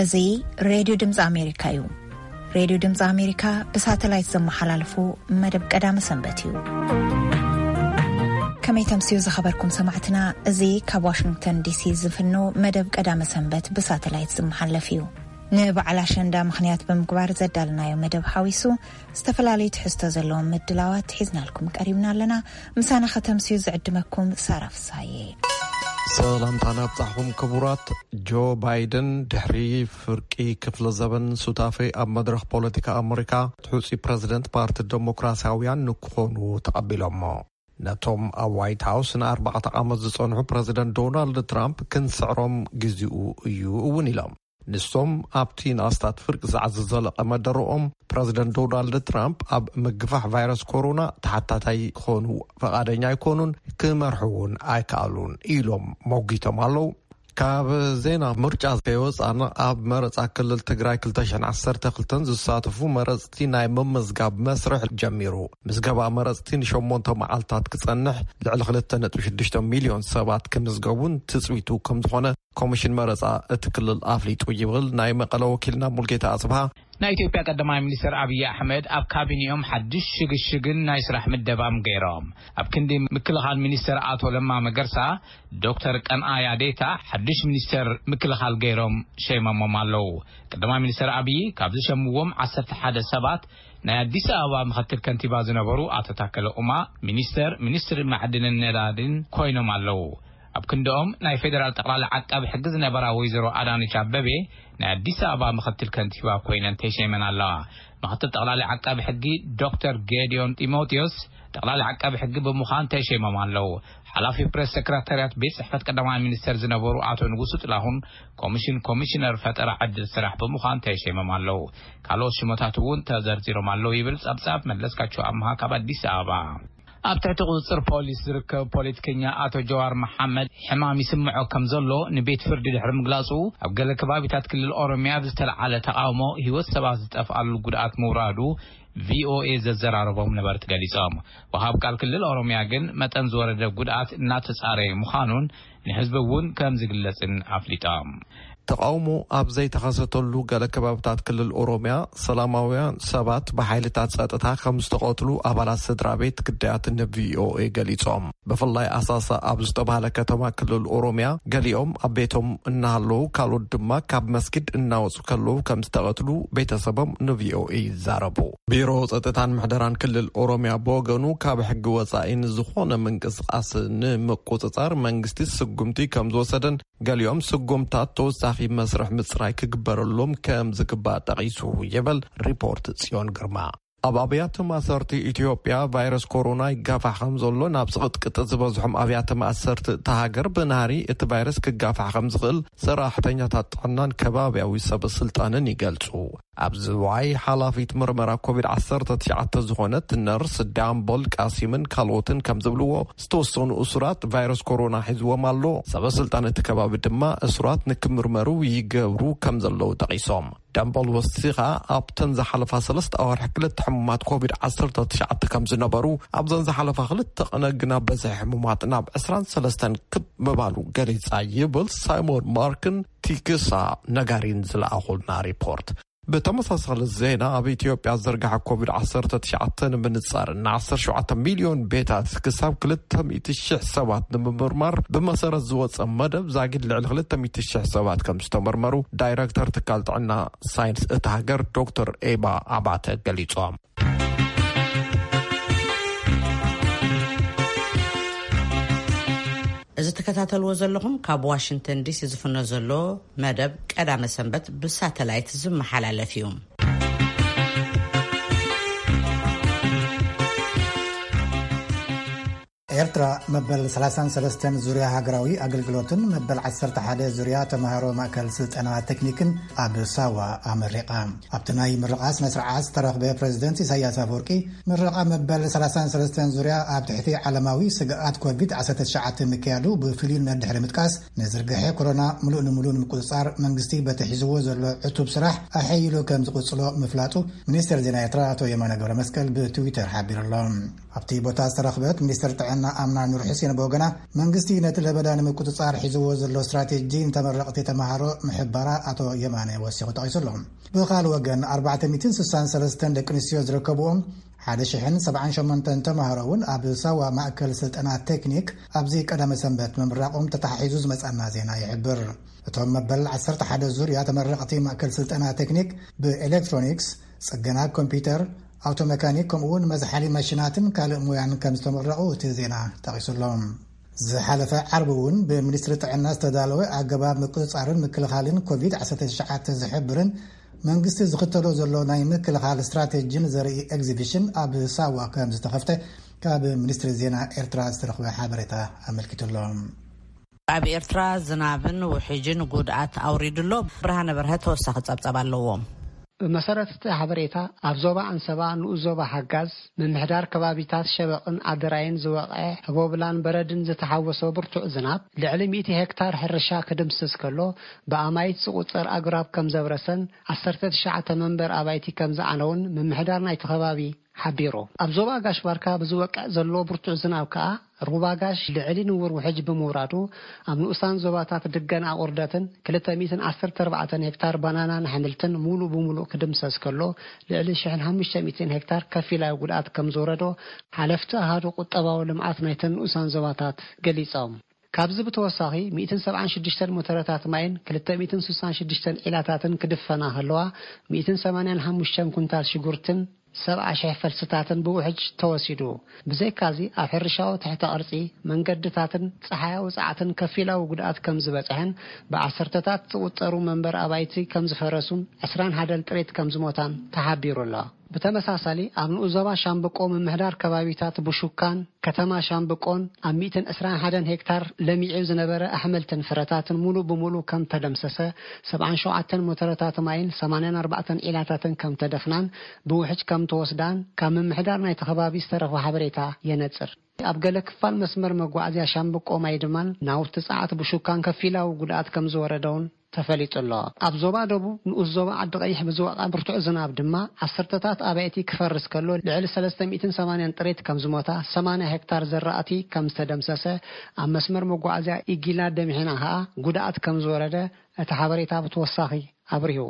እዚ ሬድዮ ድምፂ ኣሜሪካ እዩ። ሬድዮ ድምፂ ኣሜሪካ ብሳተላይት ዘመሓላልፎ መደብ ቀዳመ ሰንበት እዩ። ከመይ ተምስዩ ዝኸበርኩም ሰማዕትና፣ እዚ ካብ ዋሽንግተን ዲሲ ዝፍኖ መደብ ቀዳመ ሰንበት ብሳተላይት ዝመሓለፍ እዩ። ንበዓል ኣሸንዳ ምኽንያት ብምግባር ዘዳልናዮ መደብ ሓዊሱ ዝተፈላለዩ ትሕዝቶ ዘለዎም ምድላዋት ሒዝናልኩም ቀሪብና ኣለና። ምሳና ከተምስዩ ዝዕድመኩም ሳራ ፍሳዬ። ሰላምታና ኣብጻሕኹም ክቡራት። ጆ ባይደን ድሕሪ ፍርቂ ክፍለ ዘበን ሱታፌ ኣብ መድረኽ ፖለቲካ ኣመሪካ፣ ሕጹይ ፕረዚደንት ፓርቲ ደሞክራሲያውያን ንክኾኑ ተቐቢሎሞ። ነቶም ኣብ ዋይት ሃውስ ንኣርባዕተ ዓመት ዝጸንሑ ፕረዚደንት ዶናልድ ትራምፕ ክንስዕሮም ግዜኡ እዩ እውን ኢሎም። ንሶም ኣብቲ ንኣስታት ፍርቂ ሰዓት ዝዘለቐ መደረኦም፣ ፕረዚደንት ዶናልድ ትራምፕ ኣብ ምግፋሕ ቫይረስ ኮሮና ተሓታታይ ክኾኑ ፈቓደኛ ኣይኮኑን፣ ክመርሑ እውን ኣይከኣሉን ኢሎም መጒቶም ኣለዉ። ካብ ዜና ምርጫ ከይወጻና፣ ኣብ መረጻ ክልል ትግራይ ክልተ ሽሕን ዓሰርተ ክልተን ዝሳተፉ መረጽቲ ናይ ምምዝጋብ መስርሕ ጀሚሩ። ምዝገባ መረጽቲ ንሸሞንተ መዓልታት ክጸንሕ፣ ልዕሊ ክልተ ነጥቢ ሽዱሽተ ሚልዮን ሰባት ክምዝገቡን ትጽቢቱ ከም ዝኾነ ኮሚሽን መረጻ እቲ ክልል ኣፍሊጡ ይብል ናይ መቐለ ወኪልና ሙልጌታ ኣጽብሃ። ናይ ኢትዮጵያ ቀዳማይ ሚኒስትር ኣብይ ኣሕመድ ኣብ ካቢኔኦም ሓድሽ ሽግሽግን ናይ ስራሕ ምደባም ገይሮም። ኣብ ክንዲ ምክልኻል ሚኒስትር ኣቶ ለማ መገርሳ፣ ዶክተር ቀንኣያ ዴታ ሓድሽ ሚኒስትር ምክልኻል ገይሮም ሸይሞሞም ኣለዉ። ቀዳማይ ሚኒስትር ኣብይ ካብ ዝሸምዎም ዓሰርተ ሓደ ሰባት፣ ናይ ኣዲስ ኣበባ ምኽትል ከንቲባ ዝነበሩ ኣቶ ታከለ ኡማ ሚኒስተር ሚኒስትሪ ማዕድንን ነዳድን ኮይኖም ኣለዉ። ኣብ ክንድኦም ናይ ፌዴራል ጠቕላሊ ዓቃቢ ሕጊ ዝነበራ ወይዘሮ ኣዳነች ኣበቤ ናይ ኣዲስ ኣበባ ምኽትል ከንቲባ ኮይነን ተሸይመን ኣለዋ። ምኽትል ጠቕላሊ ዓቃቢ ሕጊ ዶክተር ጌዲዮን ጢሞቴዎስ ጠቕላሊ ዓቃቢ ሕጊ ብምዃን ተሸይሞም ኣለዉ። ሓላፊ ፕሬስ ሰክረታርያት ቤት ጽሕፈት ቀዳማይ ሚኒስተር ዝነበሩ ኣቶ ንጉሱ ጥላሁን ኮሚሽን ኮሚሽነር ፈጠራ ዕድል ስራሕ ብምዃን ተሸይሞም ኣለዉ። ካልኦት ሽሞታት እውን ተዘርዚሮም ኣለዉ ይብል ጸብጻብ መለስካቸው ኣምሃ ካብ ኣዲስ ኣበባ። ኣብ ትሕቲ ቁጽጽር ፖሊስ ዝርከብ ፖለቲከኛ ኣቶ ጀዋር መሓመድ ሕማም ይስምዖ ከም ዘሎ ንቤት ፍርዲ ድሕሪ ምግላጹ፣ ኣብ ገለ ከባቢታት ክልል ኦሮሚያ ብዝተለዓለ ተቓውሞ ህይወት ሰባት ዝጠፍኣሉ ጉድኣት ምውራዱ ቪኦኤ ዘዘራረቦም ነበርቲ ገሊጾም። ወሃብ ቃል ክልል ኦሮሚያ ግን መጠን ዝወረደ ጉድኣት እናተጻረየ ምዃኑን ንህዝቢ እውን ከም ዝግለጽን ኣፍሊጦም። ተቓውሞ ኣብ ዘይተኸሰተሉ ገለ ከባብታት ክልል ኦሮሚያ ሰላማውያን ሰባት ብሓይልታት ጸጥታ ከም ዝተቐትሉ ኣባላት ስድራ ቤት ግዳያት ንቪኦኤ ገሊጾም። ብፍላይ ኣሳሳ ኣብ ዝተባህለ ከተማ ክልል ኦሮሚያ ገሊኦም ኣብ ቤቶም እናሃለዉ ካልኦት ድማ ካብ መስጊድ እናወጹ ከለዉ ከም ዝተቐትሉ ቤተሰቦም ንቪኦኤ ይዛረቡ። ቢሮ ጸጥታን ምሕደራን ክልል ኦሮሚያ ብወገኑ ካብ ሕጊ ወጻኢ ንዝኾነ ምንቅስቃስ ንምቁጽጻር መንግስቲ ስጉምቲ ከም ዝወሰደን ገሊኦም ስጉምታት ተወሳኺ መስርሕ ምጽራይ ክግበረሎም ከም ዝግባእ ጠቒሱ ይብል ሪፖርት ጽዮን ግርማ። ኣብ ኣብያተ ማእሰርቲ ኢትዮጵያ ቫይረስ ኮሮና ይጋፋሕ ከም ዘሎ ናብ ዝቕጥቅጥ ዝበዝሖም ኣብያተ ማእሰርቲ እታ ሃገር ብናህሪ እቲ ቫይረስ ክጋፋሕ ከም ዝኽእል ሰራሕተኛታት ጥዕናን ከባብያዊ ሰብ ስልጣንን ይገልጹ። ኣብ ዝዋይ ሓላፊት ምርመራ ኮቪድ ዓሰርተ ትሽዓተ ዝኾነት ነርስ ዳምቦል ቃሲምን ካልኦትን ከም ዝብልዎ ዝተወሰኑ እሱራት ቫይረስ ኮሮና ሒዝዎም ኣሎ። ሰበ ስልጣን እቲ ከባቢ ድማ እሱራት ንክምርመሩ ይገብሩ ከም ዘለዉ ጠቒሶም። ዳምቦል ወሲኻ ኣብተን ዝሓለፋ ሰለስተ ኣዋርሕ ክልተ ሕሙማት ኮቪድ ዓሰርተ ትሽዓተ ከም ዝነበሩ፣ ኣብዘን ዝሓለፋ ክልተ ቀነ ግና በዝሒ ሕሙማት ናብ ዕስራን ሰለስተን ክብ ምባሉ ገሊጻ ይብል ሳይሞን ማርክን ቲክሳ ነጋሪን ዝለኣኹልና ሪፖርት። ብተመሳሳሊ ዜና ኣብ ኢትዮጵያ ዝርግሐ ኮቪድ ዓሰርተ ትሽዓተ ንምንጻር ን ዓሰርተ ሸውዓተ ሚልዮን ቤታት ክሳብ ክልተ ሚእቲ ሽሕ ሰባት ንምምርማር ብመሰረት ዝወጸ መደብ ዛጊድ ልዕሊ ክልተ ሚእቲ ሽሕ ሰባት ከም ዝተመርመሩ ዳይረክተር ትካል ጥዕና ሳይንስ እታ ሃገር ዶክተር ኤባ ኣባተ ገሊጾም። እዚ ትከታተልዎ ዘለኹም ካብ ዋሽንግተን ዲሲ ዝፍኖ ዘሎ መደብ ቀዳመ ሰንበት ብሳተላይት ዝመሓላለፍ እዩ። ኤርትራ መበል ሰላሳን ሰለስተን ዙርያ ሃገራዊ ኣገልግሎትን መበል ዓሰርተ ሓደ ዙርያ ተማሃሮ ማእከል ስልጠና ቴክኒክን ኣብ ሳዋ ኣመሪቓ። ኣብቲ ናይ ምርቓ ስነ ስርዓት ዝተረኽበ ፕረዚደንት ኢሳያስ ኣፈወርቂ፣ ምረቓ መበል ሰላሳን ሰለስተን ዙርያ ኣብ ትሕቲ ዓለማዊ ስግኣት ኮቪድ ዓሰርተ ትሽዓተ ምክያዱ ብፍልዩነት ድሕሪ ምጥቃስ፣ ንዝርግሐ ኮሮና ምሉእ ንምሉእ ንምቁጽጻር መንግስቲ በቲ ሒዝዎ ዘሎ ዕቱብ ስራሕ ኣሐይሉ ከም ዝቕጽሎ ምፍላጡ ሚኒስትር ዜና ኤርትራ ኣቶ የማነ ገብረመስቀል ብትዊተር ሓቢሩ ኣሎ። ኣብቲ ቦታ ዝተረኽበት ሚኒስትር ጥዕና ኣምና ኑር ሕሴን ብወገና፣ መንግስቲ ነቲ ለበዳ ንምቁጽጻር ሒዝዎ ዘሎ ስትራቴጂ ንተመረቕቲ ተመሃሮ ምሕባራ ኣቶ የማነ ወሲኹ ጠቒሱ ኣሎ። ብኻል ወገን፣ ኣርባዕተ ሚእትን ስሳን ሰለስተን ደቂ ኣንስትዮ ዝርከብዎም ሓደ ሽሕን ሰብዓን ሸሞንተን ተመሃሮ እውን ኣብ ሳዋ ማእከል ስልጠና ቴክኒክ ኣብዚ ቀዳመ ሰንበት ምምራቖም ተተሓሒዙ ዝመጻና ዜና ይሕብር። እቶም መበል ዓሰርተ ሓደ ዙርያ ተመረቕቲ ማእከል ስልጠና ቴክኒክ ብኤሌክትሮኒክስ፣ ጽገና ኮምፒውተር፣ ኣውቶ መካኒክ፣ ከምኡ እውን መዝሓሊ ማሽናትን ካልእ ሙያን ከም ዝተመረቑ እቲ ዜና ጠቒሱ ኣሎ። ዝሓለፈ ዓርቢ እውን ብሚኒስትሪ ጥዕና ዝተዳለወ ኣገባብ ምቁጽጻርን ምክልኻልን ኮቪድ ዓሰርተ ትሽዓተ ዝሕብርን መንግስቲ ዝኽተሎ ዘሎ ናይ ምክልኻል ስትራቴጂን ዘርኢ ኤግዚቢሽን ኣብ ሳዋ ከም ዝተኸፍተ ካብ ሚኒስትሪ ዜና ኤርትራ ዝተረኽበ ሓበሬታ ኣመልኪቱ ኣሎ። ኣብ ኤርትራ ዝናብን ውሕጅን ጉድኣት ኣውሪዱ ኣሎ። ብርሃነ በርሀ ተወሳኺ ጸብጸብ ኣለዎ። ብመሰረት እቲ ሓበሬታ፣ ኣብ ዞባ ኣንሰባ ንኡስ ዞባ ሓጋዝ ምምሕዳር ከባቢታት ሸበቕን ኣደራይን ዝወቕዐ ህቦብላን በረድን ዝተሓወሶ ብርቱዕ ዝናብ ልዕሊ ሚእቲ ሄክታር ሕርሻ ክድምስስ ከሎ፣ ብኣማይት ዝቑጸር ኣግራብ ከም ዘብረሰን ዓሰርተ ትሽዓተ መንበር ኣባይቲ ከም ዝዓነውን ምምሕዳር ናይቲ ከባቢ ሓቢሩ። ኣብ ዞባ ጋሽ ባርካ ብዝወቅዕ ዘሎ ብርቱዕ ዝናብ ከኣ ሩባ ጋሽ ልዕሊ ንውር ውሕጅ ብምውራዱ፣ ኣብ ንኡሳን ዞባታት ድገን ኣቑርደትን ክልተ ሚእትን ዓሰርተ ኣርባዕተን ሄክታር ባናናን ኣሕምልትን ሙሉእ ብሙሉእ ክድምሰስ ከሎ፣ ልዕሊ ሽሕን ሓሙሽተ ሚእትን ሄክታር ከፊላዊ ጉድኣት ከም ዝወረዶ ሓለፍቲ ኣሃዱ ቁጠባዊ ልምዓት ናይተን ንኡሳን ዞባታት ገሊጾም። ካብዚ ብተወሳኺ፣ ሚእትን ሰብዓን ሽዱሽተን ሞተረታት ማይን ክልተ ሚእትን ስሳን ሽዱሽተን ዒላታትን ክድፈና ከለዋ፣ ሚእትን ሰማንያን ሓሙሽተን ኩንታል ሽጉርትን ሰብዓ ሽሕ ፈልስታትን ብውሕጅ ተወሲዱ። ብዘይካዚ፣ ኣብ ሕርሻዊ ትሕተ ቅርጺ፣ መንገድታትን ጸሓያዊ ጸዓትን ከፊላዊ ጉድኣት ከም ዝበጽሐን፣ ብዓሰርተታት ዝቑጸሩ መንበር ኣባይቲ ከም ዝፈረሱን ዕስራን ሓደን ጥሪት ከም ዝሞታን ተሓቢሩ ኣሎ። ብተመሳሳሊ፣ ኣብ ንኡስ ዞባ ሻምብቆ ምምሕዳር ከባቢታት ቡሹካን ከተማ ሻምብቆን ኣብ ሚእትን ዕስራን ሓደን ሄክታር ለሚዑ ዝነበረ ኣሕምልትን ፍረታትን ሙሉእ ብሙሉእ ከም ተደምሰሰ፣ ሰብዓን ሸውዓተን ሞተረታት ማይን ሰማንያን ኣርባዕተን ዒላታትን ከም ተደፍናን ብውሕጅ ከም ተወስዳን ካብ ምምሕዳር ናይቲ ከባቢ ዝተረኽበ ሓበሬታ የነጽር። ኣብ ገለ ክፋል መስመር መጓዓዝያ ሻምብቆ ማይ ድማን ናውቲ ጸዓት ብሹካን ከፊላዊ ጉድኣት ከም ዝወረደውን ተፈሊጡ ኣሎ። ኣብ ዞባ ደቡብ ንኡስ ዞባ ዓዲ ቀይሕ ብዝወቕዐ ብርቱዕ ዝናብ ድማ ዓሰርተታት ኣባይቲ ክፈርስ ከሎ፣ ልዕሊ ሰለስተ ሚእትን ሰማንያን ጥሪት ከም ዝሞታ፣ ሰማንያ ሄክታር ዘራእቲ ከም ዝተደምሰሰ፣ ኣብ መስመር መጓዓዝያ ኢጊላ ደምሒና ከኣ ጉድኣት ከም ዝወረደ እቲ ሓበሬታ ብተወሳኺ ኣብሪሁ።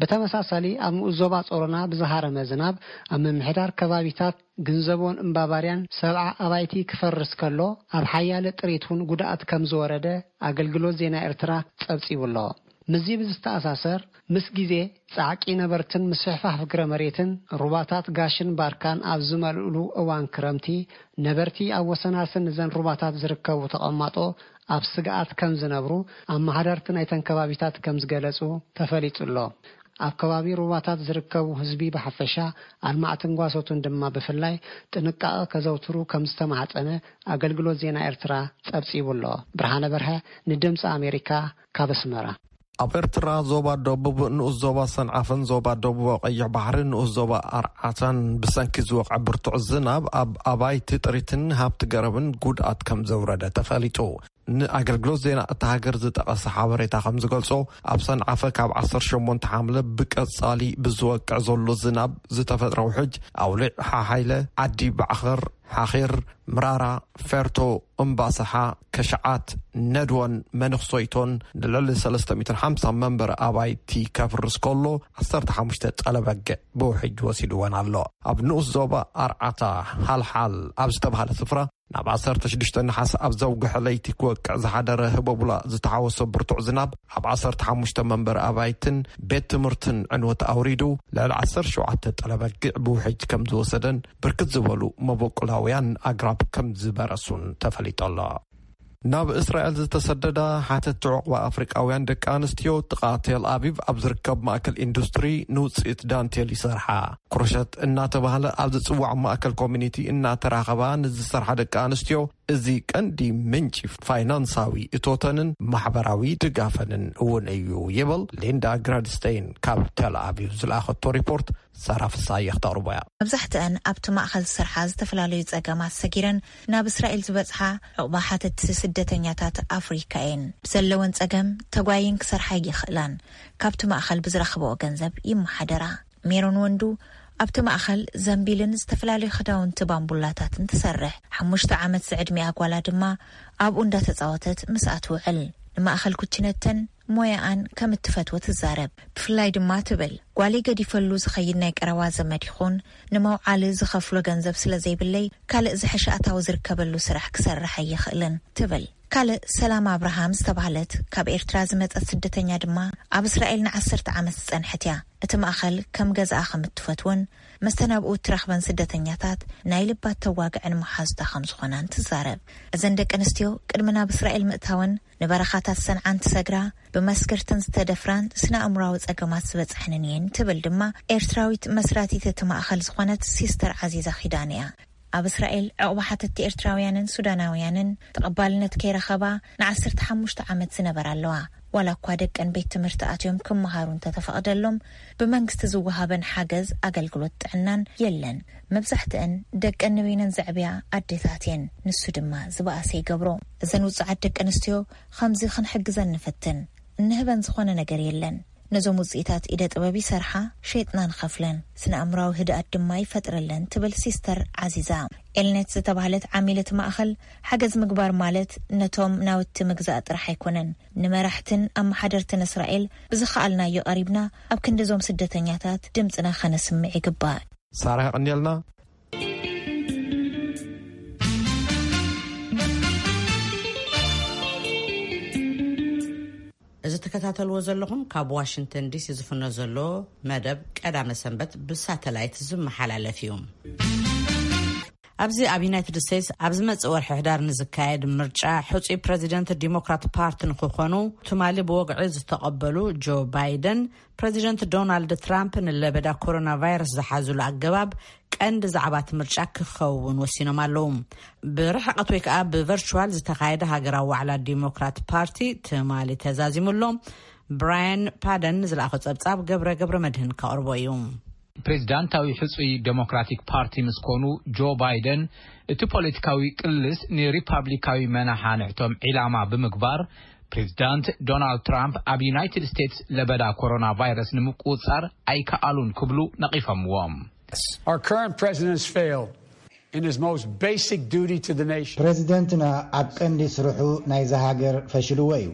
ብተመሳሳሊ፣ ኣብ ንኡስ ዞባ ጾሮና ብዝሃረመ ዝናብ ኣብ ምምሕዳር ከባቢታት ግንዘቦን እምባባርያን ሰብዓ ኣባይቲ ክፈርስ ከሎ፣ ኣብ ሓያለ ጥሪት እውን ጉድኣት ከም ዝወረደ ኣገልግሎት ዜና ኤርትራ ጸብጺቡ ኣሎ። ምስዚ ብዝተኣሳሰር፣ ምስ ግዜ ጻዕቂ ነበርትን ምስፍሕፋሕ ፍግረ መሬትን፣ ሩባታት ጋሽን ባርካን ኣብ ዝመልእሉ እዋን ክረምቲ፣ ነበርቲ ኣብ ወሰናስን እዘን ሩባታት ዝርከቡ ተቐማጦ ኣብ ስግኣት ከም ዝነብሩ፣ ኣመሓደርቲ ናይተን ከባቢታት ከም ዝገለጹ ተፈሊጡ ኣሎ። ኣብ ከባቢ ሩባታት ዝርከቡ ህዝቢ ብሓፈሻ፣ ኣልማዕትን ጓሶትን ድማ ብፍላይ፣ ጥንቃቐ ከዘውትሩ ከም ዝተማሕጸነ ኣገልግሎት ዜና ኤርትራ ጸብጺቡ ኣሎ። ብርሃነ በርሀ፣ ንድምጺ ኣሜሪካ፣ ካብ ኣስመራ። ኣብ ኤርትራ ዞባ ደቡብ ንኡስ ዞባ ሰንዓፈን ዞባ ደቡብ ቀይሕ ባሕሪ ንኡስ ዞባ ኣርዓታን ብሰንኪ ዝወቕዐ ብርቱዕ ዝናብ ኣብ ኣባይቲ ጥሪትን ሃብቲ ገረብን ጉድኣት ከም ዘውረደ ተፈሊጡ። ንኣገልግሎት ዜና እታ ሃገር ዝጠቐሰ ሓበሬታ ከም ዝገልጾ፣ ኣብ ሰንዓፈ ካብ ዓሰርተ ሸሞንተ ሓምለ ብቀጻሊ ብዝወቅዕ ዘሎ ዝናብ ዝተፈጥረ ውሕጅ፣ ኣውሊዕ ሓሓይለ፣ ዓዲ ባዕኸር፣ ሓኺር፣ ምራራ፣ ፌርቶ፣ እምባሰሓ፣ ከሽዓት፣ ነድወን መነኽሶይቶን ንልዕሊ ሰለስተ ሚእትን ሓምሳን መንበሪ ኣባይቲ ከፍርስ ከሎ፣ ዓሰርተ ሓሙሽተ ጸለበግዕ ብውሕጅ ወሲድወን ኣሎ። ኣብ ንኡስ ዞባ ኣርዓታ፣ ሓልሓል ኣብ ዝተባህለ ስፍራ፣ ናብ ዓሰርተ ሽዱሽተ ነሓሰ ኣብ ዘውግሐ ለይቲ ክወቅዕ ዝሓደረ ህቦቡላ ዝተሓወሶ ብርቱዕ ዝናብ፣ ኣብ ዓሰርተ ሓሙሽተ መንበሪ ኣባይትን ቤት ትምህርትን ዕንወት ኣውሪዱ፣ ልዕሊ ዓሰርተ ሸውዓተ ጠለበግዕ ብውሕጅ ከም ዝወሰደን፣ ብርክት ዝበሉ መበቆላውያን ኣግራብ ከም ዝበረሱን ተፈሊጡ ኣሎ። ናብ እስራኤል ዝተሰደዳ ሓተቲ ዑቕባ ኣፍሪቃውያን ደቂ ኣንስትዮ፣ ጥቓ ቴል ኣቪቭ ኣብ ዝርከብ ማእከል ኢንዱስትሪ ንውጽኢት ዳንቴል ይሰርሓ። ክሮሸት እናተባህለ ኣብ ዝጽዋዕ ማእከል ኮሚኒቲ እናተራኸባ ንዝሰርሓ ደቂ ኣንስትዮ፣ እዚ ቀንዲ ምንጪ ፋይናንሳዊ እቶተንን ማሕበራዊ ድጋፈንን እውን እዩ ይብል ሊንዳ ግራድስተይን ካብ ቴል ኣቪቭ ዝለኣኸቶ ሪፖርት። ሳራ ፍሳየ ክተቕርቦ እያ። መብዛሕትአን ኣብቲ ማእኸል ዝሰርሓ ዝተፈላለዩ ጸገማት ሰጊረን ናብ እስራኤል ዝበጽሓ ዑቕባ ሓተቲ ስደተኛታት ኣፍሪካ እየን። ብዘለወን ጸገም ተጓይን ክሰርሓ ይኽእላን፣ ካብቲ ማእኸል ብዝረኽበኦ ገንዘብ ይመሓደራ። ሜሮን ወንዱ ኣብቲ ማእኸል ዘንቢልን ዝተፈላለዩ ክዳውንቲ ባምቡላታትን ትሰርሕ። ሓሙሽተ ዓመት ዝዕድሚኣ ጓላ ድማ ኣብኡ እንዳተጻወተት ምስኣ ትውዕል። ንማእኸል ኩችነተን ሞያኣን ከም እትፈትዎ ትዛረብ። ብፍላይ ድማ ትብል፣ ጓለይ ገዲፈሉ ዝኸይድ ናይ ቀረባ ዘመድ ይኹን ንመውዓሊ ዝኸፍሎ ገንዘብ ስለ ዘይብለይ፣ ካልእ ዝሕሸ ኣታዊ ዝርከበሉ ስራሕ ክሰርሕ ኣይኽእልን ትብል። ካልእ ሰላም ኣብርሃም ዝተባህለት ካብ ኤርትራ ዝመጸት ስደተኛ ድማ ኣብ እስራኤል ንዓሰርተ ዓመት ዝጸንሐት እያ። እቲ ማእኸል ከም ገዛኣ ከም እትፈትዎን መስተናብኡ እትረኽበን ስደተኛታት ናይ ልባ እተዋግዐን መሓዙታ ከም ዝኾናን ትዛረብ። እዘን ደቂ ኣንስትዮ ቅድሚ ናብ እስራኤል ምእታወን ንበረኻታት ሰንዓ እንትሰግራ፣ ብመስገርትን ዝተደፍራን ስነ ኣእምራዊ ጸገማት ዝበጽሐንን እየን ትብል ድማ ኤርትራዊት መስራቲት እቲ ማእኸል ዝኾነት ሲስተር ዓዚዛ ኪዳነ እያ። ኣብ እስራኤል ዕቑባ ሓተትቲ ኤርትራውያንን ሱዳናውያንን ተቐባልነት ከይረኸባ ንዓሰርተ ሓሙሽተ ዓመት ዝነበራ ኣለዋ። ዋላ እኳ ደቀን ቤት ትምህርቲ ኣትዮም ክመሃሩ እንተተፈቕደሎም፣ ብመንግስቲ ዝወሃበን ሓገዝ ኣገልግሎት ጥዕናን የለን። መብዛሕትአን ደቀን ንበይነን ዘዕብያ ኣዴታት እየን። ንሱ ድማ ዝበኣሰ ይገብሮ። እዘን ውጹዓት ደቂ ኣንስትዮ ከምዚ ክንሕግዘን ንፍትን። እንህበን ዝኾነ ነገር የለን። ነዞም ውጽኢታት ኢደ ጥበብ ይሰርሓ፣ ሸይጥና ንኸፍለን፣ ስነ ኣእምራዊ ህድኣት ድማ ይፈጥረለን ትብል ሲስተር ዓዚዛ። ኤልነት ዝተባህለት ዓሚል እቲ ማእኸል፣ ሓገዝ ምግባር ማለት ነቶም ናውቲ ምግዛእ ጥራሕ ኣይኮነን። ንመራሕትን ኣመሓደርትን እስራኤል ብዝኸኣልናዮ ቀሪብና ኣብ ክንዲ እዞም ስደተኛታት ድምፅና ከነስምዕ ይግባእ። ሳራ ያቐንየልና። እዚ ትከታተልዎ ዘለኹም ካብ ዋሽንግተን ዲሲ ዝፍኖ ዘሎ መደብ ቀዳመ ሰንበት ብሳተላይት ዝመሓላለፍ እዩ። ኣብዚ ኣብ ዩናይትድ ስቴትስ ኣብ ዝመጽእ ወርሒ ሕዳር ንዝካየድ ምርጫ ሕጹይ ፕረዚደንት ዲሞክራት ፓርቲ ንክኾኑ ትማሊ ብወግዒ ዝተቐበሉ ጆ ባይደን፣ ፕረዚደንት ዶናልድ ትራምፕ ንለበዳ ኮሮና ቫይረስ ዝሓዙሉ ኣገባብ ቀንዲ ዛዕባ እቲ ምርጫ ክኸውን ወሲኖም ኣለዉ። ብርሕቀት ወይ ከዓ ብቨርቹዋል ዝተኻየደ ሃገራዊ ዋዕላ ዲሞክራት ፓርቲ ትማሊ ተዛዚሙ ኣሎ። ብራያን ፓደን ንዝለኣኾ ጸብጻብ ገብረ ገብረ መድህን ከቕርቦ እዩ። ፕሬዚዳንታዊ ሕጹይ ዴሞክራቲክ ፓርቲ ምስ ኮኑ ጆ ባይደን፣ እቲ ፖለቲካዊ ቅልስ ንሪፓብሊካዊ መናሓንሕቶም ዒላማ ብምግባር፣ ፕሬዚዳንት ዶናልድ ትራምፕ ኣብ ዩናይትድ ስቴትስ ለበዳ ኮሮና ቫይረስ ንምቁጽጻር ኣይከኣሉን ክብሉ ነቒፎምዎም። Our current president has failed in his most basic duty to the nation. ፕሬዚደንትና ኣብ ቀንዲ ስርሑ ናይዛ ሃገር ፈሽልዎ እዩ።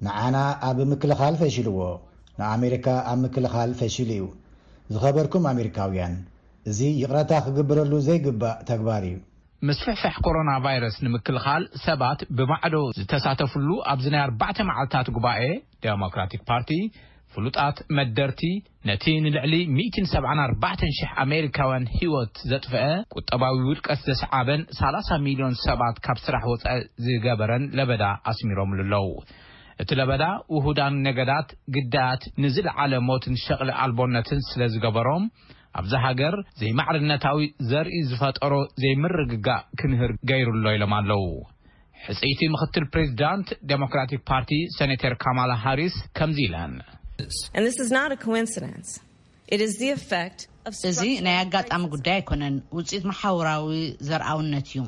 ንዓና ኣብ ምክልኻል ፈሽልዎ፣ ንኣሜሪካ ኣብ ምክልኻል ፈሽሉ እዩ። ዝኸበርኩም ኣሜሪካውያን፣ እዚ ይቕረታ ክግበረሉ ዘይግባእ ተግባር እዩ። ምስፍሕፋሕ ኮሮና ቫይረስ ንምክልኻል ሰባት ብማዕዶ ዝተሳተፍሉ ኣብዚ ናይ ኣርባዕተ መዓልታት ጉባኤ፣ ዴሞክራቲክ ፓርቲ ፍሉጣት መደርቲ ነቲ ንልዕሊ ሚእትን ሰብዓን ኣርባዕተን ሽሕ ኣሜሪካውያን ህይወት ዘጥፍአ፣ ቁጠባዊ ውድቀት ዘስዓበን ሰላሳ ሚልዮን ሰባት ካብ ስራሕ ወጻኢ ዝገበረን ለበዳ ኣስሚሮምሉ ኣለዉ። እቲ ለበዳ ውሁዳን ነገዳት ግዳያት ንዝለዓለ ሞትን ሸቕሊ ኣልቦነትን ስለ ዝገበሮም፣ ኣብዛ ሃገር ዘይማዕርነታዊ ዘርኢ ዝፈጠሮ ዘይምርግጋእ ክንህር ገይሩ ኣሎ ኢሎም ኣለዉ። ሕጽይቲ ምኽትል ፕሬዚዳንት ዴሞክራቲክ ፓርቲ ሴኔተር ካማላ ሃሪስ ከምዚ ኢለን። And this is not a coincidence. It is the effect of እዚ ናይ ኣጋጣሚ ጉዳይ ኣይኮነን፣ ውጽኢት መሓውራዊ ዘርኣውነት እዩ።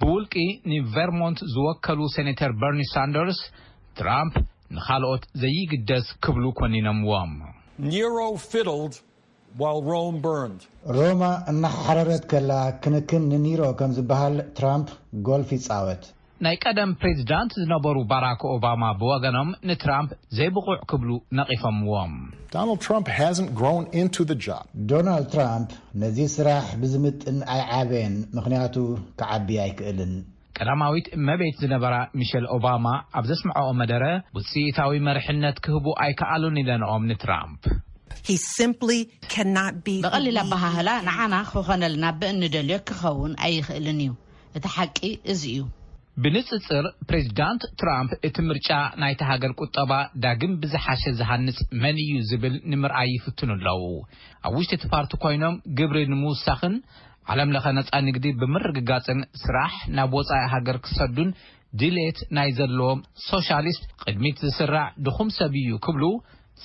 ብውልቂ ንቨርሞንት ዝወከሉ ሴኔተር በርኒ ሳንደርስ፣ ትራምፕ ንኻልኦት ዘይግደስ ክብሉ ኮኒኖምዎም። Nero fiddled while Rome burned. ሮማ እናሓረረት ከላ ክንክን ንኒሮ ከም ዝበሃል ትራምፕ ጎልፍ ይጻወት። ናይ ቀደም ፕሬዚዳንት ዝነበሩ ባራክ ኦባማ ብወገኖም ንትራምፕ ዘይብቑዕ ክብሉ ነቒፎምዎም። Donald Trump hasn't grown into the job. ዶናልድ ትራምፕ ነዚ ስራሕ ብዝምጥን ኣይዓበየን፣ ምኽንያቱ ክዓቢ ኣይክእልን። ቀዳማዊት እመቤት ዝነበራ ሚሸል ኦባማ ኣብ ዘስምዐኦ መደረ፣ ውጽኢታዊ መርሕነት ክህቡ ኣይከኣሉን ኢለንኦም ንትራምፕ። He simply cannot be ብቐሊል ኣበሃህላ ንዓና ክኾነልና ብእንደልዮ ክኸውን ኣይኽእልን እዩ። እቲ ሓቂ እዚ እዩ። ብንጽጽር፣ ፕሬዚዳንት ትራምፕ እቲ ምርጫ ናይቲ ሃገር ቁጠባ ዳግም ብዝሓሸ ዝሃንጽ መን እዩ ዝብል ንምርኣይ ይፍትኑ ኣለዉ። ኣብ ውሽጢ እቲ ፓርቲ ኮይኖም ግብሪ ንምውሳኽን ዓለም ለኸ ነጻ ንግዲ ብምርግጋጽን ስራሕ ናብ ወጻኢ ሃገር ክሰዱን ድሌት ናይ ዘለዎም ሶሻሊስት ቅድሚት ዝስራዕ ድኹም ሰብ እዩ ክብሉ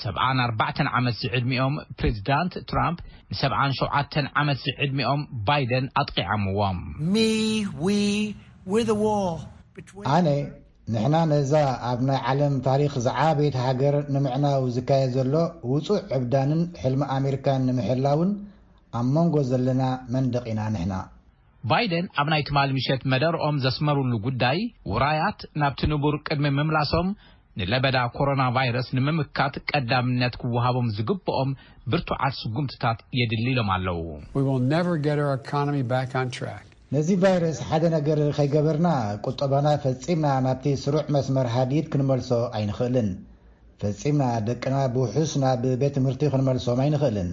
ሰብዓን ኣርባዕተን ዓመት ዝዕድሚኦም ፕሬዚዳንት ትራምፕ ንሰብዓን ሸውዓተን ዓመት ዝዕድሚኦም ባይደን ኣጥቂዖምዎም። Me, we, we're the wall between ኣነ፣ ንሕና ነዛ ኣብ ናይ ዓለም ታሪኽ ዝዓበየት ሃገር ንምዕናው ዝካየድ ዘሎ ውጹዕ ዕብዳንን ሕልሚ ኣሜሪካን ንምሕላውን ኣብ መንጎ ዘለና መንደቕ ኢና ንሕና። ባይደን ኣብ ናይ ትማሊ ምሸት መደርኦም ዘስመሩሉ ጉዳይ፣ ውራያት ናብቲ ንቡር ቅድሚ ምምላሶም፣ ንለበዳ ኮሮና ቫይረስ ንምምካት ቀዳምነት ክወሃቦም ዝግብኦም ብርቱዓት ስጉምትታት የድሊ ኢሎም ኣለዉ። We will never get our economy back on track. ነዚ ቫይረስ ሓደ ነገር ከይገበርና፣ ቁጠባና ፈጺምና ናብቲ ስሩዕ መስመር ሃዲድ ክንመልሶ ኣይንኽእልን። ፈጺምና ደቅና ብውሑስ ናብ ቤት ትምህርቲ ክንመልሶም ኣይንኽእልን።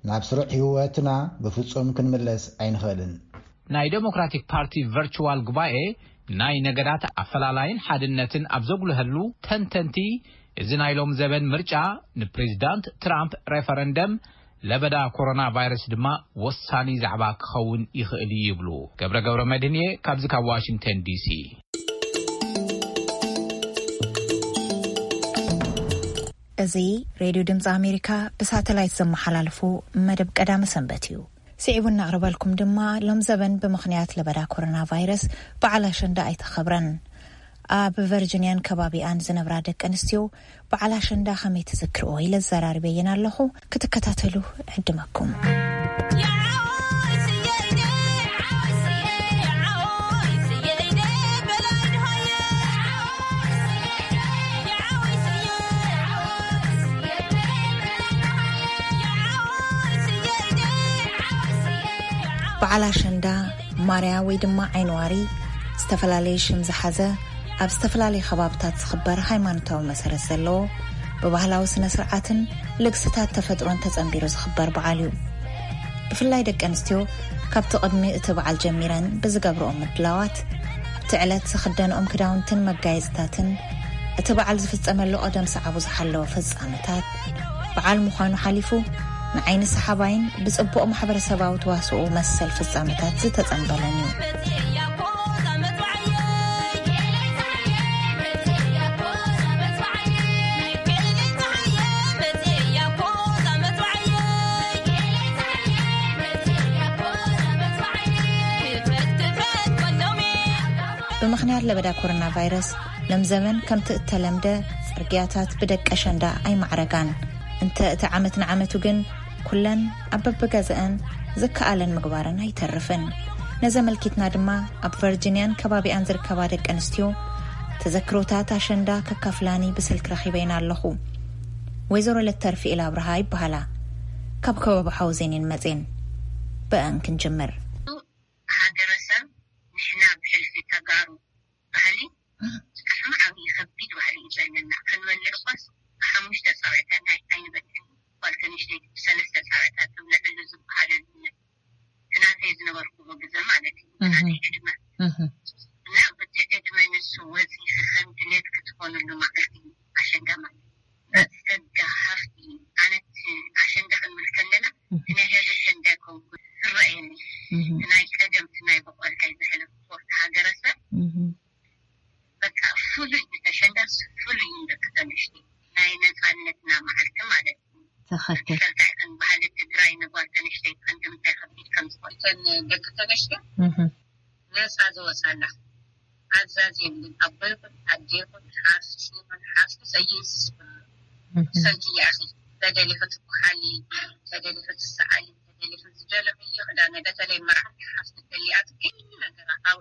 ናብ ስሩዕ ህይወትና ብፍጹም ክንምለስ ኣይንኽእልን። ናይ ዴሞክራቲክ ፓርቲ ቨርቹዋል ጉባኤ ናይ ነገዳት ኣፈላላይን ሓድነትን ኣብ ዘጉልሀሉ፣ ተንተንቲ እዚ ናይ ሎም ዘበን ምርጫ ንፕሬዚዳንት ትራምፕ ሬፈረንደም፣ ለበዳ ኮሮና ቫይረስ ድማ ወሳኒ ዛዕባ ክኸውን ይኽእል እዩ ይብሉ። ገብረ ገብረ መድህንየ ካብዚ ካብ ዋሽንግተን ዲሲ። እዚ ሬድዮ ድምፂ ኣሜሪካ ብሳተላይት ዘመሓላልፎ መደብ ቀዳመ ሰንበት እዩ። ስዒቡ እናቕርበልኩም ድማ፣ ሎም ዘበን ብምኽንያት ለበዳ ኮሮና ቫይረስ በዓል ኣሸንዳ ኣይተኸብረን። ኣብ ቨርጂንያን ከባቢኣን ዝነብራ ደቂ ኣንስትዮ በዓል ኣሸንዳ ከመይ ትዝክርኦ ኢለ ዘራርበየን ኣለኹ። ክትከታተሉ ዕድመኩም። በዓል ኣሸንዳ፣ ማርያ ወይ ድማ ዓይንዋሪ፣ ዝተፈላለየ ሽም ዝሓዘ፣ ኣብ ዝተፈላለየ ከባብታት ዝኽበር ሃይማኖታዊ መሰረት ዘለዎ፣ ብባህላዊ ስነ ስርዓትን ልግስታት ተፈጥሮን ተጸንቢሩ ዝኽበር በዓል እዩ። ብፍላይ ደቂ ኣንስትዮ፣ ካብቲ ቅድሚ እቲ በዓል ጀሚረን ብዝገብርኦ ምድላዋት፣ ኣብቲ ዕለት ዝኽደንኦም ክዳውንትን መጋየጽታትን፣ እቲ በዓል ዝፍጸመሉ ቀደም ሰዓቡ ዝሓለወ ፍጻመታት፣ በዓል ምዃኑ ሓሊፉ፣ ንዓይኒ ሰሓባይን ብጽቡቕ ማሕበረሰባዊ ተዋስኦ መሰል ፍጻመታት ዝተጸንበለን እዩ። ብምኽንያት ለበዳ ኮሮና ቫይረስ፣ ሎም ዘመን ከምቲ እተለምደ ጽርግያታት ብደቂ ኣሸንዳ ኣይማዕረጋን። እንተ እቲ ዓመት ንዓመቱ ግን፣ ኩለን ኣብ በብገዝአን ዝከኣለን ምግባረን ኣይተርፍን። ነዚ ኣመልኪትና ድማ፣ ኣብ ቨርጂንያን ከባቢኣን ዝርከባ ደቂ ኣንስትዮ ተዘክሮታት ኣሸንዳ ከካፍላኒ ብስልክ ረኺበይን ኣለኹ። ወይዘሮ ለተርፊኤል ኣብርሃ ይበሃላ። ካብ ከባቢ ሓውዜን እየን መጼን። ብአን ክንጅምር። ሃገረሰብ፣ ንሕና ብሕልፊ ተጋሩ ባህሊ፣ ብጣዕሚ ዓብዪ ከቢድ ባህሊ እዩ ዘለና። ክንበልዕ እኮስ ብሓሙሽተ ፃውዒታት ናይ ኣይንበልዕን። ጓል ከንሽተይ ብሰለስተ ፃውዒታት ትብለዐሉ ዝበሃለሉ፣ እቲ ናተይ ዝነበርኩሉ ግዘ ማለት እዩ። እህ። ናተይ ዕድመ። እህ። እና በቲ ዕድመ ንሱ ወፂኺ ከም ድሌት ክትኾንሉ መዓልቲ እዩ ኣሸንዳ ማለት። ጸጋ ሃፍቲ እዩ። ኣነ እቲ ኣሸንዳ ክንብል ከለና፣ እህ። እቲ ናይ ሕዚ ኣሸንዳ ኣይኮንኩን ዝረኣየኒ። እህ። እቲ ናይ ቀደም፣ እቲ ናይ በቆልካይ ዘሕለፍኩ፣ እቲ ሃገረሰብ፣ እህ። በቃ ፍሉይ እዩ። እቲ ኣሸንዳ ፍሉይ እዩ፣ ደቂ ተንሽቲ ናይ ነፃነትና መዓልቲ ማለት እዩ። ትኽክል። ፈልጣ ይኹን ባህሊ ትግራይ ንጓል ተንሽተይ ይኹን ንምንታይ ከቢድ ከም ዝኾነ። እተን ደቂ ተንሽቲ እህ። ነፃ ዝወፃላ ኣዛዝ የብልን። ኣቦ ይኹን ኣደ ይኹን ሓፍቲ ይኹን ሓፍቲ ሰይእዝዝ ኩሉ። እህ። ብሰንኪ ይኣኺ ተደሊኺ ትኩሓሊ፣ ተደሊኺ ትሰኣሊ፣ ተደሊኺ ዝደለኽዮ ክዳነ፣ በተለይ መርዓት ሓፍቲ ተሊኣትኪ ነገራ ኣብ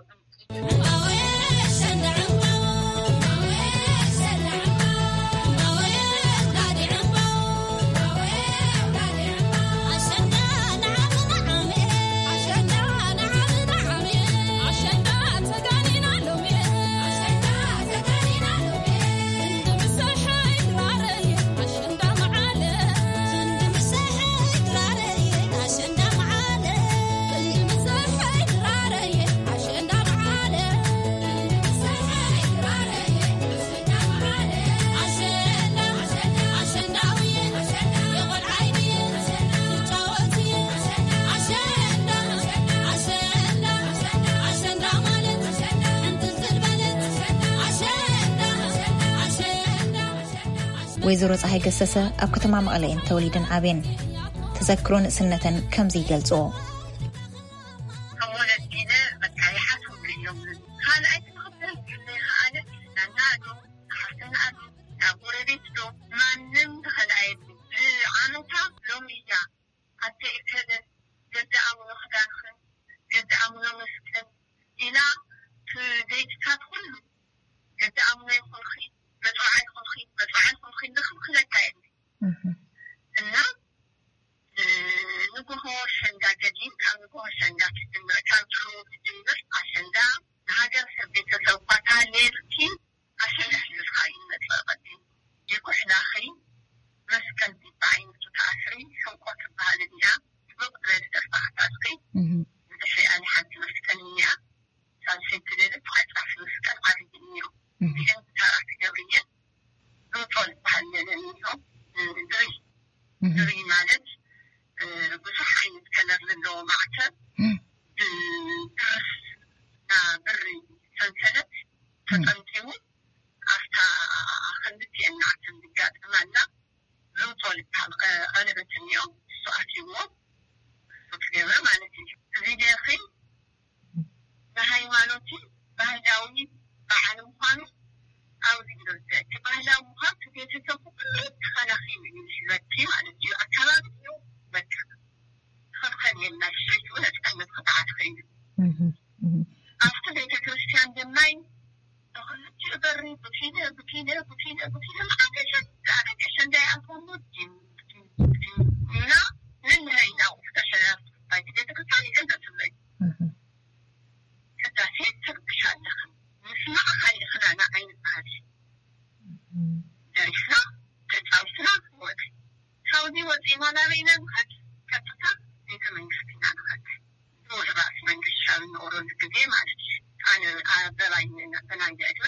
ወይዘሮ ፀሃይ ገሰሰ ኣብ ከተማ መቐለ እየን ተወሊደን ዓብየን። ተዘክሮ ንእስነተን ከምዚ ይገልፅኦ። ካብ ወለዲነ በቃ ይሓስብሉ እዮም። ካልኣይ ትምህርቲ ዘይከኣለ ናና ዶ፣ ሓፍትና ዶ፣ ናብ ጎረቤት ዶ፣ ማንም ተኸልኣየሉ። ዓመታ ሎሚ እያ ኣተ እከለ እህ። እና ንግሆ ኣሸንዳ ገዲም፣ ካብ ንግሆ ኣሸንዳ ትጅምር፣ ካብ ድሮ ትጅምር ኣሸንዳ ንሃገር ሰብ ቤተሰብ ኳታ ሌልኪ ኣሸንዳ ሒዝካ እዩ ዝመፅእ። ቀዲም ይኩሕላኺ፣ መስቀል ዲባ ዓይነቱ ተኣስሪ፣ ሕንቆ ትበሃል እያ። ጥብቕ ዝበለ ደርፊ ኣሕታትኪ፣ እህ። ብድሕሪኣ ንሓንቲ መስቀል እያ። ሳልሰይቲ ሌሊት ዓጻፊ መስቀል ዓብዪ እኒኦ። እህ። እዚአን ተራ ትገብርየን ሎጦ ዝበሃል ሌለ እኒኦ። ድሪ፣ እህ። ድሪ ማለት፣ እ፣ ብዙሕ ዓይነት ከለር ዘለዎ ማዕተብ፣ እህ። ብብርስ ና ብሪ ሰንሰለት ተጠምጢሙ፣ ኣብታ ክልቲኤን ናዕተን ዝጋጠማላ ሎጦ ዝበሃል ቀ-፣ ቀለበት እኒኦ። እሱ ኣትይዎ፣ እሱ ትገብረ ማለት እዩ። እዚ ጌርኺ ንሃይማኖቲ ባህላዊ በዓል ምዃኑ ኣብዚ ይርድእ። እቲ ባህላዊ ምዃን እቲ ቤተሰብ ኩሉ ተኸላኺሉ እዩ ዝሕዘኪ ማለት እዩ። ኣካባቢ እዩ በቃ። ትኽልከል የለን። ሰይቲ እውን ነፃነት ክትዓት ኮይኑ እህ፣ እህ። ኣብቲ ቤተክርስትያን ድማ ብክልቲኡ በሪ ብኪነ፣ ብኪነ፣ ብኪነ፣ ብኪነ መዓት ሸ-፣ ደቂ ሸንዳ ይኣትወሉ። ዲም፣ ዲም፣ ዲም እና ነንሕና ኢና ውሽጢ ሸ-፣ ናይቲ ቤተክርስትያን ይገንዘብ ትብለይ። እህ። ቅዳሴ ትርብሽ ኣለኽን። ምስማዕ ካሊእኽን ኣነ ኣይንበሃል። እህ። ደሪፍና፣ ተጫዊትና ንወጽእ። ካብዚ ወጺእና ናበይ ኢና ንኸድ? ቀጥታ ቤተ መንግስቲ ኢና ንኸድ። ብውዕል ራእሲ መንግስቲ ሻብ ንቕረሉ ግዜ ማለት እዩ። ኣነ ኣበባይ በናይ ዕድመ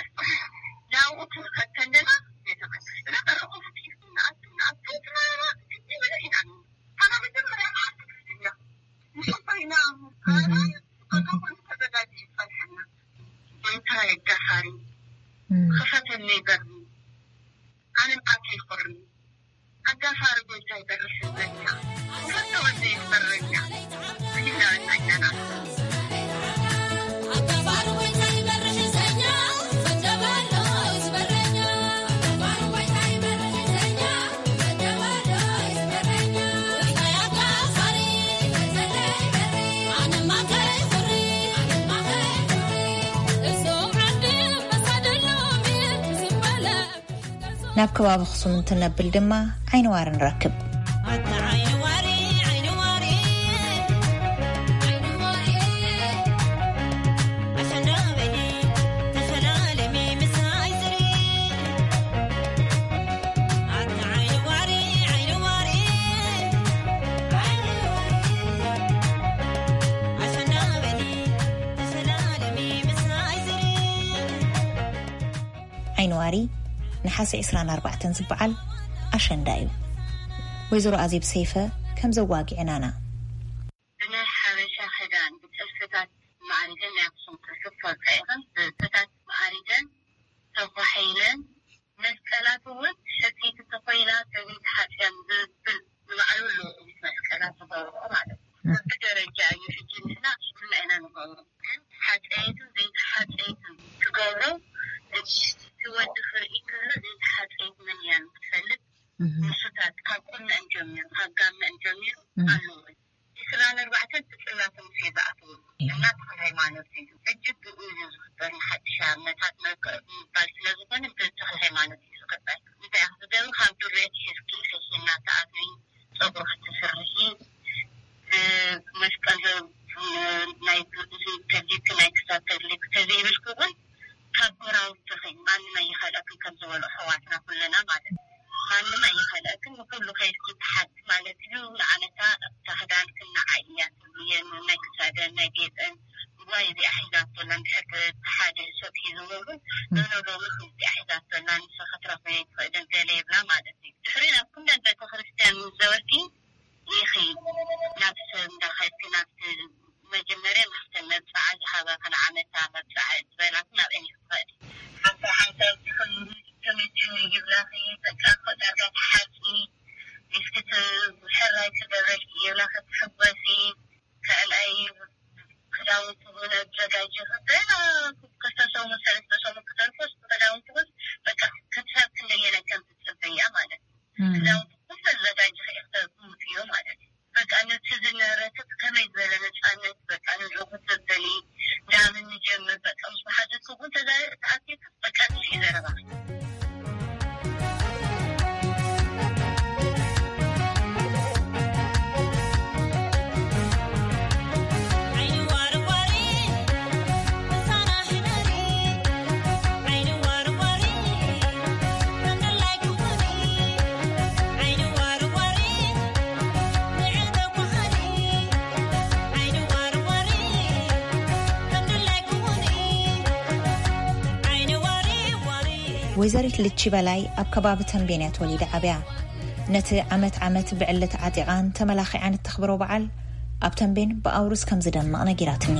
ናብኡ ክንኸድ ከለና ቤተ መንግስትና በረቑ ፈቲሑ ንኣቱ፣ ንኣቱ፣ ንኣቱ፣ ግዜ በለ ኢና። ኣና መጀመርያ መዓልቲ ክርስትና ምስ ኣቦይና ኣነ እህ። በቃ ኩሉ ተዘጋጅዩ ይጸንሐና። ጎይታ የጋፋሪ እህ። ክፈተለይ በሪ። ኣነ ምዓት ይኹርኒ። ኣጋፋሪ ጎይታ ይበርሕ ህዝበኛ። ክልተ ወደ ይበረኛ። ይናበታኛና። ኣጋፋሪ ጎይታ ይበርሕ ህዝበኛ። ፈጀባሎ ይዝበረኛ። ኣጋፋሪ ጎይታ ይበርሕ ህዝበኛ። ፈጀባሎ ይዝበረኛ። ጎይታ ኣጋፋሪ። ኣነ ማከይ ኩሪ። ኣነ ማከይ ኩሪ። እዞም ዓዲ መሳደሎም ዝበለ ናብ ከባቢ ኣኽሱም እንትነብል ድማ ዓይኒ ዋሪ ንረክብ። ዓይኒ ዋሪ ነሓሰ ዕስራን ኣርባዕተን ዝበዓል ኣሸንዳ እዩ። ወይዘሮ ኣዜብ ሰይፈ ከም ዘዋጊዐናና። ብናይ ሓበሻ ክዳን ብጥልፍታት ማዕሪገን ናይ ኣክሱም ጥልፊ ትፈልጣ ኢኽን። ብጥልፍታት ማዕሪገን ተኳሒለን መስቀላት እውን ሕጽይቲ ተኾይና ሰበይቲ ሓጽያን ዝብል ንባዕሉ ኣሎ። እዚ መስቀላት ዝገብርኦ ማለት እዩ። እ። በብደረጃ እዩ። ሕጂ ንሕና ኩልና ኢና ንገብሮ። ግን ሓጸይትን ዘይተሓጸይትን ትገብሮ። እቲ ወዲ ክርኢ ከሎ ዘይተሓጸይት መን እያ ንክትፈልጥ እህ። ንሱታት ካብ ቁነአን ጀሚሩ፣ ካብ ጋመአን ጀሚሩ እህ። ኣለዎ። ዕስራን ኣርባዕተን ብጽላት ሙሴ ዝኣተወሉ እያ። እና ተኽለ ሃይማኖት እዩ። ሕጂ ብኡ እዩ ዝኽበር። ንሓድሽ ኣብነታት መከ-፣ ምባል ስለ ዝኾነ ብተኽለ ሃይማኖት እዩ ዝኽበር። እንታይ ኢኻ ትገብሪ? ካብ ዱርቤት ሒዝኪ ሒዝኪ እናተኣትዊ ጸጉሪ ክትስርሒ፣ እ፣ መስቀል ዘ-፣ እ፣ ናይ ግ-፣ እዚ ተድሊብኪ ናይ ክሳድ ተድሊብኪ ተዘይብልኪ እውን ካብ ጎራውትኺ ማንም ኣይኸልአክን ከም ዝበሉ ኣሕዋትና ኩልና ማለት እዩ። ማንም ኣይኸልአክን፣ ንኩሉ ከይድኪ ትሓቲ ማለት እዩ። ንዓመታ እታ ክዳንክን ንዓይ እያ ትብልየን፣ ናይ ክሳደን፣ ናይ ጌፀን፣ እዋ እዚኣ ሒዛቶ ኣላ፣ እንድሕር እቲ ሓደ ሰብ ሒዝዎ እውን፣ እም። ኖ፣ ኖ፣ ሎሚ እዚኣ ሒዛቶ ኣላ፣ ንሳ ክትረኽበ ኣይትኽእልን፣ ገለ ይብላ ማለት እዩ። ድሕሪ ናብ ኩለን ቤተክርስትያን ምስ ዘወርኪ፣ ኢኺ ናብ ሰብ እንዳኸድኪ ናብቲ መጀመርያ ማሕተም መብጽዓ ዝሃበኽን ዓመታ መብጽዓ ዝበላኽን ናብአን ኢኺ ትኸዲ። ሓንሳብ ሓንሳብ ትኽእሊ ተመችኒ ይብላኺ፣ በቃ እኮ ዳርጋ ትሓጺ፣ እስኪ ት-፣ ሕራይ ትደረጊ ይብላኺ፣ ትሕጎሲ። ካልኣይ ክዳውንቲ እውን ኣዘጋጅኺ፣ ገና ክልተ ሰሙን ሰለስተ ሰሙን ክተርፎስ ክዳውንቲ እውን በቃ ክሳብ ክንደየናይ ከም ትጽበያ ማለት እዩ። እም። ክዳውንቲ ኩሉ ኣዘጋጅኺ ኢኺ ተ-፣ ወይዘሪት ልቺ በላይ ኣብ ከባቢ ተንቤን እያ ተወሊዳ ዓብያ። ነቲ ዓመት ዓመት ብዕልቲ ዓጢቓን ተመላኺዓን እተኽብሮ በዓል ኣብ ተንቤን ብኣውርስ ከም ዝደምቕ ነጊራትኒ።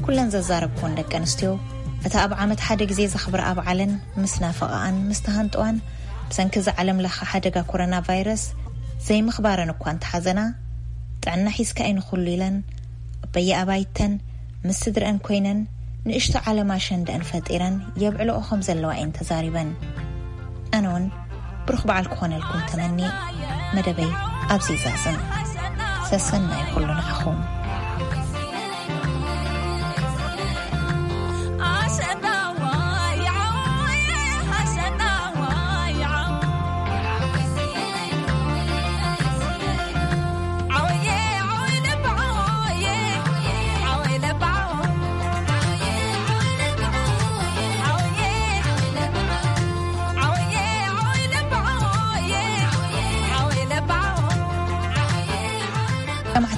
ኩለን ዘዛረብኩን ደቂ ኣንስትዮ፣ እቲ ኣብ ዓመት ሓደ ግዜ ዘኽብርኣ በዓለን ምስ ናፈቐኣን ምስ ተሃንጠዋን፣ ብሰንኪ እዚ ዓለም ለኸ ሓደጋ ኮሮና ቫይረስ ዘይምኽባረን እኳ እንተሓዘና፣ ጥዕና ሒዝካ እዩ ንኹሉ ኢለን፣ በየኣባይተን ምስ ስድረአን ኮይነን ንእሽቶ ዓለም ኣሸንደአን ፈጢረን የብዕልኦ ከም ዘለዋ እየን ተዛሪበን። ኣነ እውን ብሩኽ በዓል ክኾነልኩም ተመኒ መደበይ ኣብዚ ይዛዝም። ሰሰናይ ኩሉ ንዓኹም።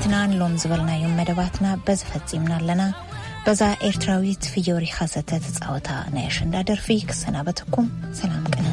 ሰማዕትና ንሎም ዝበልናዮም መደባትና በዚ ፈጺምና ኣለና። በዛ ኤርትራዊት ፍዮሪ ኻሰተ ተጻወታ ናይ ኣሸንዳ ደርፊ ክሰናበተኩም። ሰላም ቅነ።